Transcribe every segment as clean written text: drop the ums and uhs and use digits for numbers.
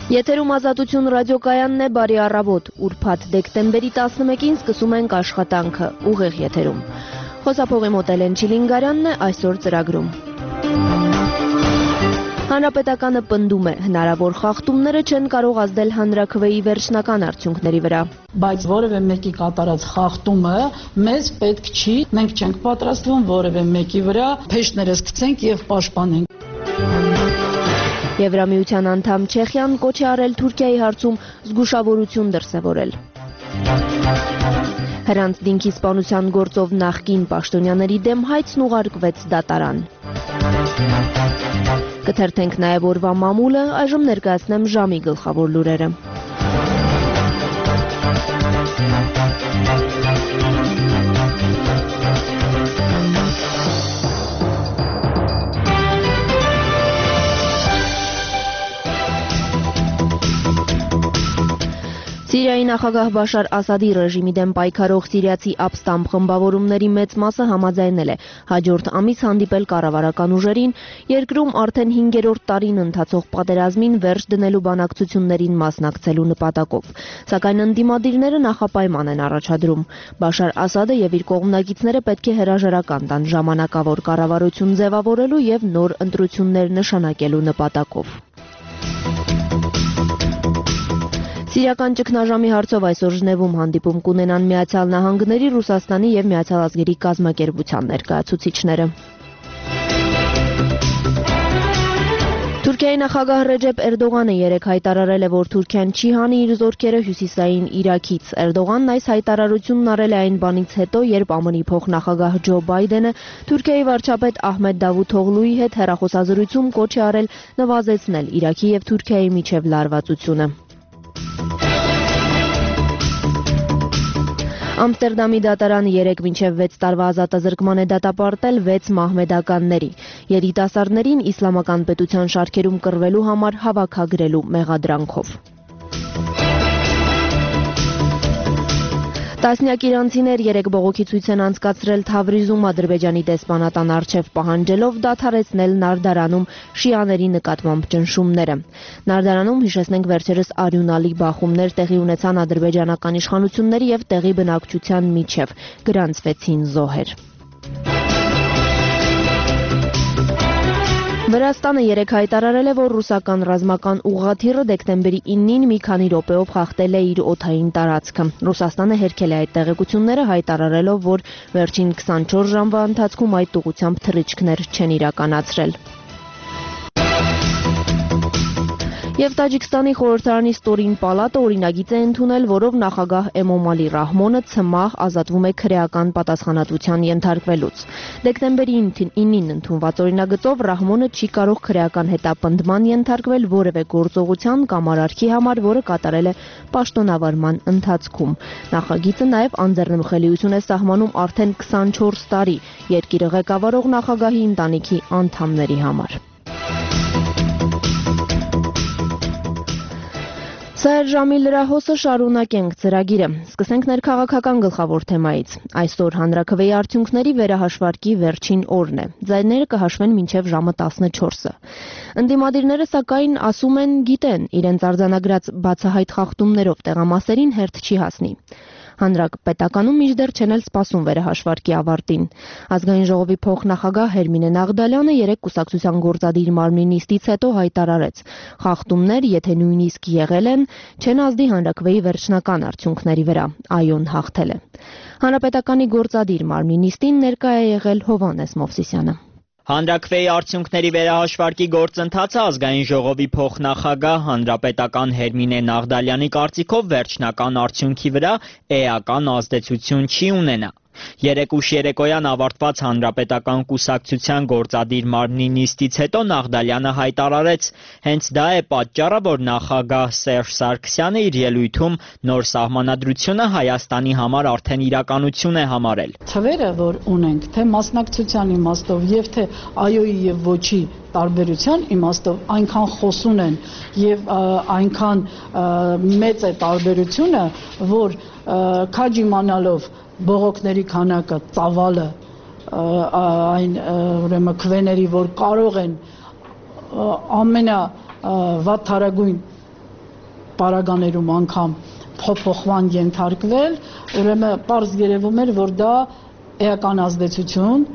Եթերում Ազատություն ռադիոկայանն է, բարի առավոտ, ուրբաթ դեկտեմբերի 11-ին սկսում ենք աշխատանքը, ուղիղ եթերում։ Խոսափողի մոտ Էլեն Չիլինգարյանն է, այսօր ծրագրում։ Հանրապետականը պնդում է, հնարավոր խախտումները չեն կարող ազդել հանրաքվեի վերջնական արդյունքների վրա։ Բայց որևէ մեկի կատարած խախտումը մեզ պետք չի, մենք չենք պատրաստվում որևէ մեկի վրա փեշտներս գցենք եւ պաշտպանենք։ Եվրամիության անդամ Չեխիան կոչ է արել Թուրքիայի հարցում զգուշավորություն դրսևորել։ Հրանց դինքի սպանության գործով նախկին պաշտոնյաների դեմ հայցն ուղարկվեց դատարան։ Կթերթենք նաև օրվա մամուլը, այժմ ներկայացնեմ ժամի գլխավոր լուրերը։ Սիրիայի նախագահ Բաշար Ասադի ռեժիմի դեմ պայքարող սիրիացի ապստամբ խմբավորումների մեծ մասը համաձայնել է հաջորդ ամիս հանդիպել կառավարական ուժերին, երկրում արդեն 5-րդ տարին ընթացող պատերազմին վերջ դնելու բանակցություններին մասնակցելու նպատակով։ Սակայն ընդդիմադիրները նախապայման են առաջադրում։ Բաշար Ասադը եւ իր կողմնակիցները պետք է հրաժարական տան ժամանակավոր կառավարություն ձևավորելու եւ նոր ընտրություններ նշանակելու նպատակով։ Սիրիական ճգնաժամի հարցով այսօր Ժնևում հանդիպում կունենան Միացյալ Նահանգների, Ռուսաստանի եւ Միացյալ Ազգերի կազմակերպության ներկայացուցիչները։ Թուրքիայի նախագահ Ռեջեփ Էրդողանը երեկ հայտարարել է, որ Թուրքիան չի հանի իր զորքերը հյուսիսային Իրաքից։ Էրդողանն այս հայտարարությունն արել է այն բանից հետո, երբ ԱՄՆ-ի փոխնախագահ Ջո Բայդենը Թուրքիայի վարչապետ Ահմեդ Դավութօղլուի հետ հեռախոսազրույցում կոչ է արել նվազեցնել Իրաքի եւ Թուրքիայի միջև լարվածությունը։ Ամստերդամի դատարանը 3-6 տարվա ազատազրկման է դատապարտել 6 մահմեդականների, երիտասարդներին իսլամական պետության շարքերում կռվելու համար հավաքագրելու մեղադրանքով։ Տասնյակ իրանցիներ երեկ բողոքի ցույց են անցկացրել Թավրիզում Ադրբեջանի դեսպանատան առջև պահանջելով դադարեցնել Նարդարանում շիաների նկատմամբ ճնշումները։ Նարդարանում, հիշեցնենք, վերջերս արյունալի բախումներ տեղի ունեցան ադրբեջանական իշխանությունների եւ տեղի բնակչության միջև, գրանցվեցին զոհեր։ Վրաստանը երեկ հայտարարել է, որ ռուսական ռազմական ուղղաթիռը դեկտեմբերի 9-ին մի քանի րոպեով խախտել է իր օդային տարածքը։ Ռուսաստանը հերքել է այդ տեղեկությունները, հայտարարելով, որ վերջին 24 ժամվա ընթացքում այդ ուղղությամբ թռիչքներ չեն իրականացրել։ Եվ Տաջիկստանի խորհրդարանի ստորին պալատը օրինագիծ է ընդունել, որով նախագահ Էմոմալի Ռահմոնը ցմահ ազատվում է քրեական պատասխանատվության ենթարկվելուց։ Դեկտեմբերի 9-ին ընդունված օրինագծով Ռահմոնը չի կարող քրեական հետապնդման ենթարկվել որևէ գործողության կամ արարքի համար, որը կատարել է պաշտոնավարման ընթացքում։ Նախագիծը նաև անձեռնմխելիություն է սահմանում արդեն 24 տարի երկիրը ղեկավարող նախագահի ընտանիքի անդամների համար։ Սա էր ժամի լրահոսը, շարունակենք ծրագիրը։ Սկսենք ներքաղաքական գլխավոր թեմայից։ Այսօր հանրաքվեի արդյունքների վերահաշվարկի վերջին օրն է։ Ձայները կհաշվեն մինչև ժամը 14-ը։ Ընդդիմադիրները սակայն ասում են գիտեն, իրենց արձանագրած բացահայտ խախտումներով տեղամասերին հերթ չի հասնի։ Հանրապետականում մինչդեռ չեն էլ սպասում վերահաշվարկի ավարտին։ Ազգային ժողովի փոխնախագահ Հերմինե Նաղդալյանը երեկ կուսակցության գործադիր մարմնի նիստից հետո հայտարարեց. խախտումներ, եթե նույնիսկ եղել են, չեն ազդի հանրաքվեի վերջնական արդյունքների վրա, այոն հաղթել է։ Հանրապետականի գործադիր մարմնի նիստին ներկա է եղել Հովհաննես Մովսիսյանը։ Հանրաքվեի արդյունքների վերահաշվարկի գործընթացը ազգային ժողովի փոխնախագահ հանրապետական Հերմինե Նաղդալյանի կարծիքով վերջնական արդյունքի վրա էական ազդեցություն չի ունենա։ Երեկ ուշ երեկոյան ավարտված հանրապետական կուսակցության գործադիր մարմնի նիստից հետո Նաղդալյանը հայտարարեց, հենց դա է պատճառը, որ նախագահ Սերժ Սարգսյանը իր ելույթում նոր սահմանադրությունը Հայաստանի համար արդեն իրականություն է համարել։ Թվերը, որ ունենք, թե մասնակցության իմաստով եւ թե այոյի եւ ոչի տարբերության իմաստով այնքան խոսուն են եւ այնքան մեծ է տարբերությունը, որ քաջ իմանալով բողոքների քանակը, ծավալը, այն ուրեմն քվեների, որ կարող են ամենավատ թարագույն պարագաներում անգամ փոփոխման ենթարկվել, ուրեմն պարզ երևում էր, որ դա էական ազդեցություն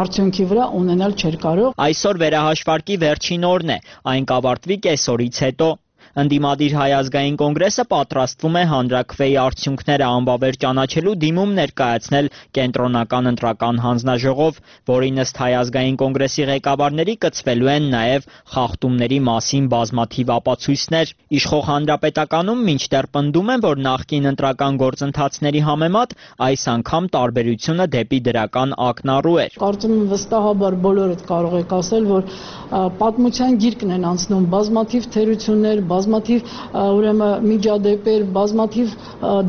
արդյունքի վրա ունենալ չէր կարող։ Այսօր վերահաշվարկի վերջին օրն է, այն կավարտվի կեսօրից հետո։ Ընդդիմադիր Հայ ազգային կոնգրեսը պատրաստվում է հանրաքվեի արդյունքները անբավեր ճանաչելու դիմում ներկայացնել կենտրոնական ընտրական հանձնաժողով, որի ըստ Հայ ազգային կոնգրեսի ղեկավարների կցվելու են նաև խախտումների մասին բազմաթիվ ապացույցներ։ Իշխող Հանրապետականում մինչդեռ պնդում են, որ նախկին ընտրական գործընթացների համեմատ այս անգամ տարբերությունը դեպի դրական ակնառու էր։ Կարծում եմ վստահաբար բոլորդ կարող եք ասել, որ պատմության գիրկն են անցնում բազմաթիվ թերություններ, բազմաթիվ ուրեմն միջադեպեր, բազմաթիվ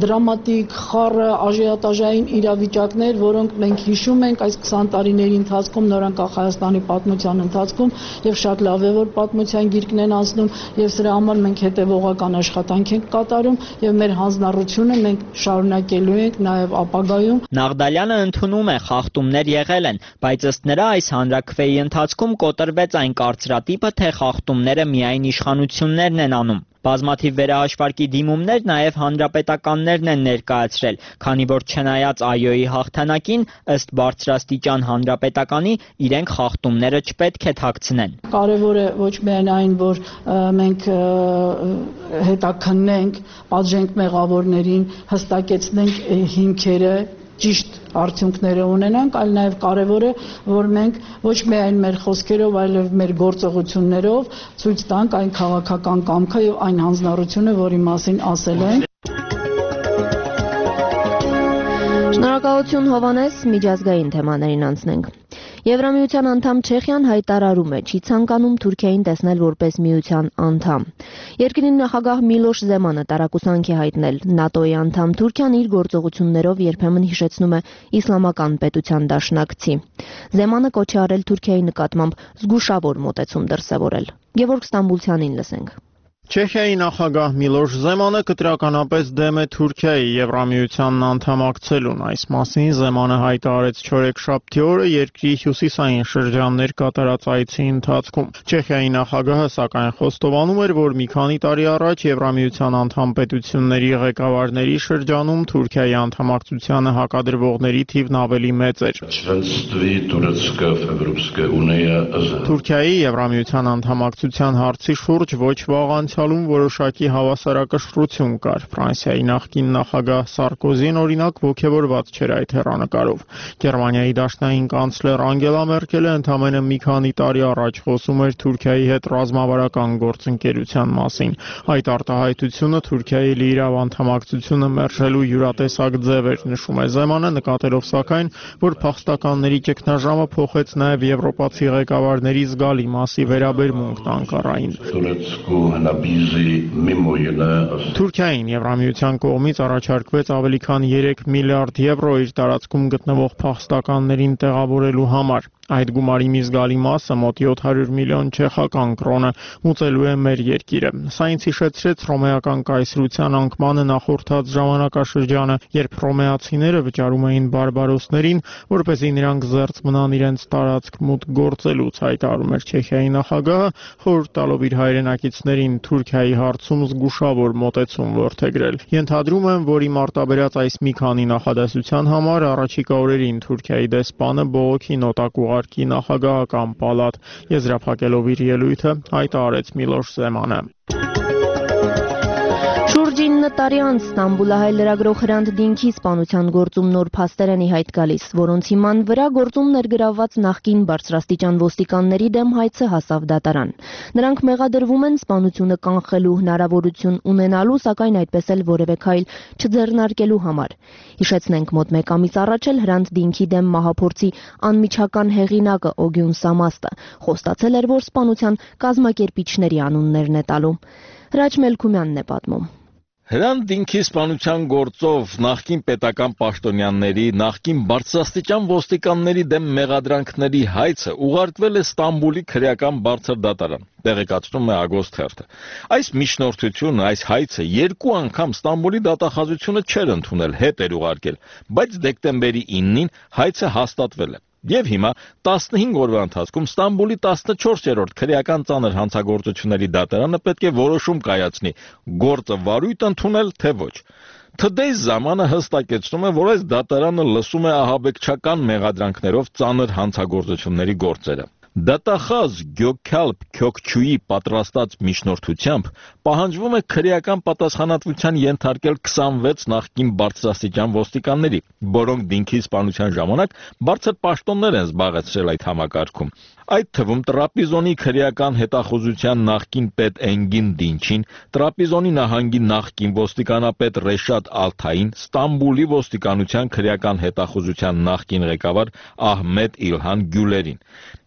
դրամատիկ, խառը, աժիոտաժային իրավիճակներ, որոնք մենք հիշում ենք այս 20 տարիների ընթացքում, նորանկախ Հայաստանի պատմության ընթացքում, եւ շատ լավ է, որ պատմության գիրկն են անցնում, եւ սրա համար մենք հետեւողական աշխատանք ենք կատարում եւ մեր հանձնառությունը մենք շարունակելու ենք նաեւ ապագայում։ Նաղդալյանը ընդունում է, խախտումներ եղել են, բայց ըստ նրա այս հանրաքվեի ընթացքում կոտրվեց այն կարծրատիպը, թե խախտումները միայն իշխանություններն են անում։ Բազմաթիվ վերահաշվարկի դիմումներ նաև հանրապետականներն են ներկայացրել, քանի որ չնայած ԱՅՈ-ի հաղթանակին, ըստ բարձրաստիճան հանրապետականի, իրենք խախտումները չպետք է թաքցնեն։ Կարևոր է ոչ միայն այն, որ մենք հետաքննենք, պատժենք մեղավորներին, հստակեցնենք հիմքերը, ճիշտ արդյունքները ունենանք, այլ նաև կարևոր է, որ մենք ոչ միայն մեր խոսքերով, այլև մեր գործողություններով ցույց տանք այն քաղաքական կամքը եւ այն հանձնառությունը, որի մասին ասել ենք։ Շնորհակալություն Հովանես, միջազգային թեմաներին անցնենք։ Եվրամիության անդամ Չեխիան հայտարարում է, չի ցանկանում Թուրքիային տեսնել որպես միության անդամ։ Երկրի նախագահ Միլոշ Զեմանը տարակուսանք է հայտնել, ՆԱՏՕ-ի անդամ Թուրքիան իր գործողություններով երբեմն հիշեցնում է իսլամական պետության դաշնակցի։ Զեմանը կոչ է արել Թուրքիայի նկատմամբ զգուշավոր մոտեցում դրսևորել։ Գևորգ Ստամբուլցյանին լսենք։ Չեխիայի նախագահ Միլոշ Զեմանը կտրականապես դեմ է Թուրքիայի Եվրամիությանն անդամակցելուն։ Այս մասին Զեմանը հայտարարեց չորեքշաբթի օրը երկրի հյուսիսային շրջաններ կատարած այցի ընթացքում։ Չեխիայի նախագահը սակայն խոստովանում էր, որ մի քանի տարի առաջ Եվրամիության անդամ պետությունների ղեկավարների շրջանում Թուրքիայի անդամակցությանը հակադրվողների թիվն ավելի մեծ էր։ Թուրքիայի Եվրամիության անդամակցության հարցի շուրջ ոչ վաղ անցյալում որոշակի հավասարակշռություն կար։ Ֆրանսիայի նախկին նախագահ Սարկոզին օրինակ ոգևորված չէր այդ հեռանկարով։ Գերմանիայի դաշնային կանցլեր Անգելա Մերկելը ընդամենը մի քանի տարի առաջ խոսում էր Թուրքիայի հետ ռազմավարական գործընկերության մասին։ Այդ արտահայտությունը Թուրքիայի լիիրավ անդամակցությունը մերժելու յուրատեսակ ձև էր, նշում է Զեմանը, նկատելով սակայն, որ փախստականների ճգնաժամը փոխեց նաև եվրոպացի ղեկավարների զգալի մասի վերաբերմունքն Անկարային։ Թուրքիային Եվրամիության կողմից առաջարկվեց ավելի քան 3 միլիարդ եվրո իր տարածքում գտնվող փախստականներին տեղավորելու համար։ Այդ գումարի մի զգալի մասը, մոտ 700 միլիոն չեխական կրոնը, մուծելու է մեր երկիրը։ Սա ինձ հիշեցրեց հռոմեական կայսրության անկմանը նախորդած ժամանակաշրջանը, երբ հռոմեացիները վճարում էին բարբարոսներին, որպեսզի նրանք զերծ մնան իրենց տարածք մուտք գործելուց, հայտարարում էր Չեխիայի նախագահը, խորհուրդ տալով իր հայրենակիցներին Թուրքիայի հարցում զգուշավոր մոտեցում որդեգրել։ Ենթադրում եմ, որ իմ արտաբերած այս մի քանի նախադասության համար առաջիկա օրերին Թուրքիայի դեսպանը բողոքի նոտակ ուղարկի նախագահական պալատ, եզրափակելով իր ելույթը, հայտարարեց Միլոշ Զեմանը։ Շուրջ 9 տարի անց Ստամբուլահայ լրագրող Հրանտ Դինքի սպանության գործում նոր փաստեր են ի հայտ գալիս, որոնց հիման վրա գործում ներգրավված նախկին բարձրաստիճան ոստիկանների դեմ հայցը հասավ դատարան։ Նրանք մեղադրվում են սպանությունը կանխելու հնարավորություն ունենալու, սակայն այդպես էլ որևէ քայլ չձեռնարկելու համար։ Հիշեցնենք, մոտ 1 ամիս առաջ էլ Հրանտ Դինքի դեմ մահափորձի անմիջական հեղինակը Օգյուն Սամաստը խոստացել էր, որ սպանության կազմակերպիչների անուններն է տալու։ Հրաչ Մելքումյանն է պատմում։ Հրանտ Դինքի սպանության գործով նախկին պետական պաշտոնյաների, նախկին բարձրաստիճան ոստիկանների դեմ մեղադրանքների հայցը ուղարկվել է Ստամբուլի քրեական բարձր դատարան, տեղեկացնում է Ագոստ թերթը։ Այս միջնորդությունը, այս հայցը 2 անգամ Ստամբուլի դատախազությունը չէր ընդունել, հետ էր ուղարկել, բայց դեկտեմբերի 9-ին հայցը հաստատվել է։ Եվ հիմա 15 օրվա ընթացքում Ստամբուլի 14-րդ քրեական ծանր հանցագործությունների դատարանը պետք է որոշում կայացնի՝ գործը վարույթ ընդունել, թե ոչ։ Today's ժամանը հստակեցնում է, որ այս դատարանը լսում է ահաբեկչական մեղադրանքներով ծանր հանցագործությունների գործերը։ Դատախազ Գյոքալփ Քյոքչուի պատրաստած միջնորդությամբ պահանջվում է քրեական պատասխանատվության ենթարկել 26 նախկին բարձրաստիճան ոստիկանների, որոնք դինքի սպանության ժամանակ բարձր պաշտոններ են զբաղեցրել այդ համակարգում։ Այդ թվում Տրապիզոնի քրեական հետախուզության նախկին պետ Էնգին Դինչին, Տրապիզոնի նահանգի նախկին ոստիկանապետ Ռեշադ Ալթային, Ստամբուլի ոստիկանության քրեական հետախուզության նախկին ղեկավար Ահմեդ Իլհան Գյուլերին։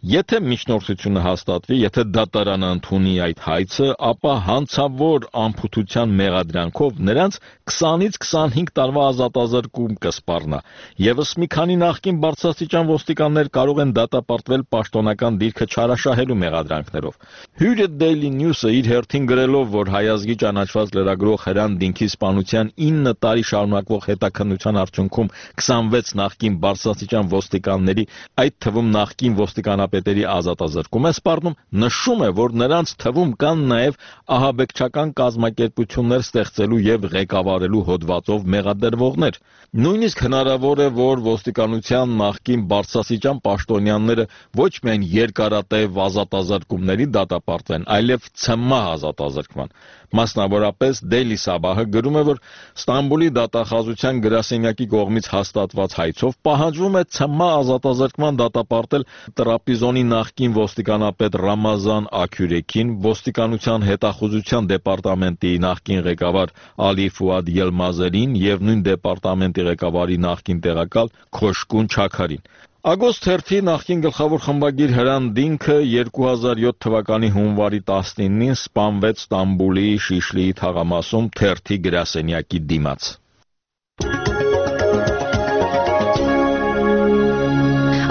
Եթե միջնորդությունը հաստատվի, եթե դատարանը ընդունի այդ հայցը, ապա հանցավոր անփութության մեղադրանքով նրանց 20-ից 25 տարվա ազատազրկում կսպառնա։ Եվս մի քանի նախկին բարձրաստիճան ոստիկաններ կարող են դատապարտվել պաշտոնական դիրքը չարաշահելու մեղադրանքներով։ Հյուրը Daily News-ը իր հերթին գրելով, որ հայազգի ճանաչված լրագրող Հրան Դինքի սպանության 9 տարի շարունակվող հետաքննության արդյունքում 26 նախկին բարձրաստիճան ոստիկանների, այդ թվում նախկին ոստիկանապետերի ազատազրկում է սպառնում, նշում է, որ նրանց թվում կան նաև ահաբեկչական կազմակերպություններ ստեղծելու եւ ղեկավարելու հոդվածով մեղադրվողներ։ Նույնիսկ հնարավոր է, որ ոստիկանության նախկին բարձրաստիճան պաշտոնյաները ոչ միայն երկարատև ազատազրկումների դատապարտվեն, այլև ցմահ ազատազրկման։ Մասնավորապես Daily Sabah-ը գրում է, որ Ստամբուլի դատախազության գրասենյակի կողմից հաստատված հայցով պահանջվում է ցմահ ազատազրկման դատապարտել Տրապիզոնի նախկին ոստիկանապետ Ռամազան Աքյուրեքին, ոստիկանության հետախուզության դեպարտամենտի նախկին ղեկավար Ալի Ֆուադ Ելմազերին եւ նույն դեպարտամենտի ղեկավարի նախկին տեղակալ Քոշկուն Չաքարին։ Ագոստ 1-ի նախկին գլխավոր խմբագիր Հրան Դինքը 2007 թվականի հունվարի 19-ին սպանվեց Ստամբուլի Շիշլիի թաղամասում թերթի գրասենյակի դիմաց։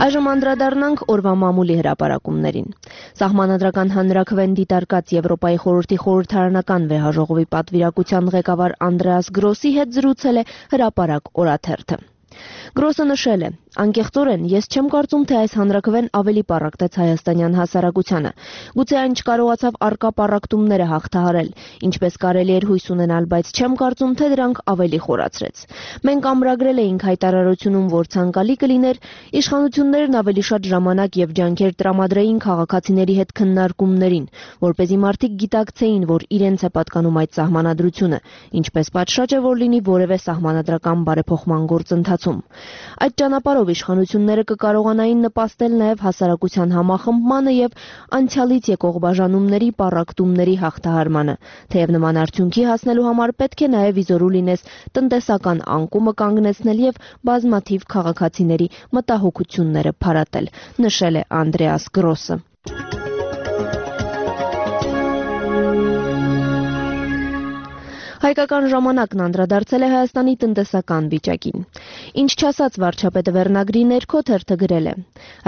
Այժմ անդրադառնանք օրվա մամուլի հրապարակումներին։ Սահմանադրական հանրաքվեն դիտարկած Եվրոպայի խորհրդի խորհրդարանական վեհաժողովի պատվիրակության ղեկավար Անդրեաս Գրոսի հետ զրուցել է հրապարակ օրաթերթը։ Գրոսը նշել է. անկեղծորեն ես չեմ կարծում, թե այս հանրաքվեն ավելի պառակտեց հայաստանյան հասարակությանը։ Գուցե այն չկարողացավ առկա պառակտումները հաղթահարել, ինչպես կարելի էր հույս ունենալ, բայց չեմ կարծում, թե դրանք ավելի խորացրեց։ Մենք ամրագրել էինք հայտարարությունում, որ ցանկալի կլիներ իշխանություններն ավելի շատ ժամանակ եւ ջանքեր տրամադրեին քաղաքացիների հետ քննարկումներին, որպեսզի մարդիկ գիտակցեին, որ իրենց է պատկանում այդ սահմանադրությունը, ինչպես պատշաճ է, որ լինի որևէ սահմանադրական բարեփոխման գործընթացում։ Այդ ճանապարհով իշխանությունները կկարողանային նպաստել նաև հասարակության համախմբմանը եւ անցյալից եկող բաժանումների պառակտումների հաղթահարմանը, թեև նման արդյունքի հասնելու համար պետք է նաև իզորու լինես տնտեսական անկումը կանգնեցնել եւ բազմաթիվ քաղաքացիների մտահոգությունները փարատել, նշել է Անդրեաս Գրոսը։ Հայկական ժամանակն անդրադարձել է Հայաստանի տնտեսական վիճակին։ Ինչ չասած վարչապետը վերնագրի ներքո թերթը գրել է.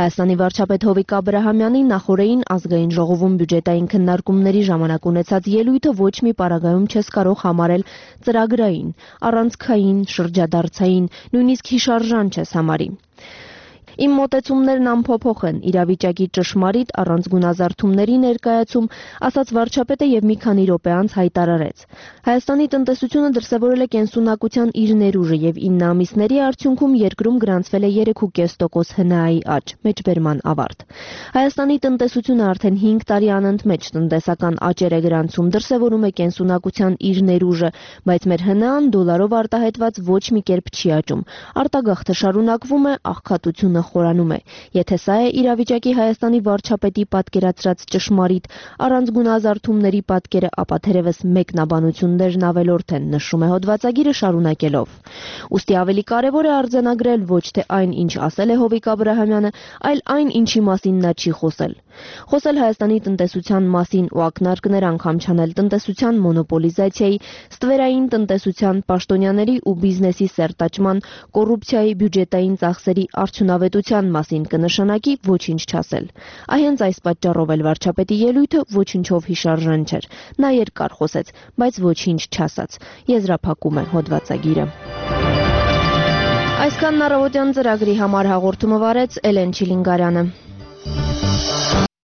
Հայաստանի վարչապետ Հովիկ Աբրահամյանի նախորդին ազգային ժողովում բյուջետային քննարկումների ժամանակ ունեցած ելույթը ոչ մի պարագայում չես կարող համարել ծրագրային, առանցքային, շրջադարձային, նույնիսկ հիշարժան չես համարի։ Իմ մոտեցումներն անփոփոխ են, իրավիճակի ճշմարիտ առանց գունազարդումների ներկայացում, ասաց վարչապետը եւ մի քանի րոպե անց հայտարարեց. Հայաստանի տնտեսությունը դրսևորել է կենսունակության իր ներուժը եւ 9 ամիսների արդյունքում երկրում գրանցվել է 3.5% ՀՆԱ-ի աճ, մեջբերման ավարտ։ Հայաստանի տնտեսությունը արդեն 5 տարի անընդմեջ տնտեսական աճեր է գրանցում, դրսևորում է կենսունակության իր ներուժը, բայց մեր ՀՆԱ-ն դոլարով արտահայտված ոչ մի կերպ չի աճում։ Արտագաղթը շարունակվում է, աղքատությունը խորանում է։ Եթե սա է իրավիճակի Հայաստանի վարչապետի պատկերացրած ճշմարիտ առանց գունազարդումների պատկերը, ապա թերևս մեկնաբանություններն ավելորդ են, նշում է հոդվածագիրը շարունակելով։ Ուստի ավելի կարևոր է արձանագրել ոչ թե այն, ինչ ասել է Հովիկ Աբրահամյանը, այլ այն, ինչի մասին նա չի խոսել։ Խոսել Հայաստանի տնտեսության մասին ու ակնարկներ անգամ չանել տնտեսության մոնոպոլիզացիայի, ստվերային տնտեսության, պաշտոնյաների ու բիզնեսի սերտաճման, կոռուպցիայի, բյուջետային ծախսերի արդյունավետության մասին կնշանակի ոչինչ չասել։ Հենց այս պատճառով էլ վարչապետի ելույթը ոչինչով հիշարժան չէր։ Նա երկար խոսեց, բայց ոչինչ չասաց։ Եզրափակում է հոդվածագիրը։ Այսքանն առավոտյան ծրագրի համար հաղորդումը վարեց Էլեն Չիլինգարյանը։